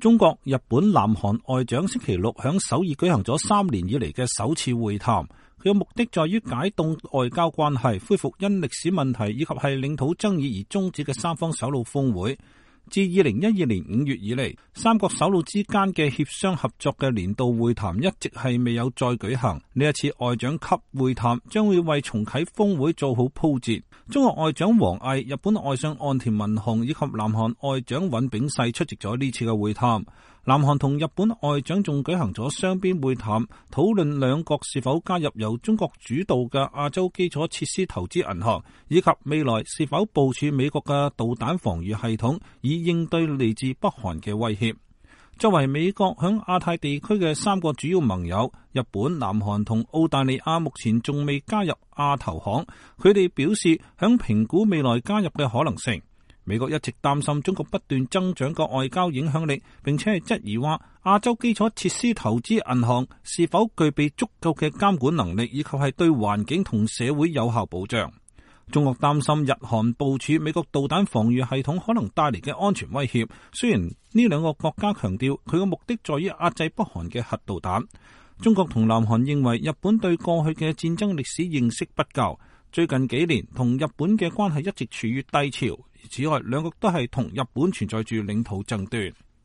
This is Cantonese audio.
中國、日本、南韓外長星期六響首爾舉行咗3年以嚟嘅首次會談，佢嘅目的在於解凍外交關係，恢復因歷史問題以及係領土爭議而終止嘅三方首腦峰會。自2012年5月以嚟，三國首腦之間嘅協商合作嘅年度會談一直係未有再舉行。呢一次外長級會談將會為重啟峰會做好鋪墊。中國外長王毅、日本外相岸田文雄以及南韓外長尹炳世出席咗呢次嘅會談。南韓同日本外長仲舉行咗雙邊會談，討論兩國是否加入由中國主導嘅亞洲基礎設施投資銀行，以及未來是否部署美國嘅導彈防禦系統，以應對嚟自北韓嘅威脅。作為美國響亞太地區嘅3個主要盟友，日本、南韓同澳大利亞目前仲未加入亞投行，佢哋表示響評估未來加入嘅可能性。美國一直擔心中國不斷增長嘅外交影響力，並且係質疑話亞洲基礎設施投資銀行是否具備足夠嘅監管能力，以及係對環境同社會有效保障。中國擔心日韓部署美國導彈防禦系統可能帶嚟嘅安全威脅。雖然呢兩個國家強調佢嘅目的在於壓制北韓嘅核導彈，中國同南韓認為日本對過去嘅戰爭歷史認識不夠，最近幾年同日本嘅關係一直處於低潮。此外，兩國都係同日本存在住領土爭端。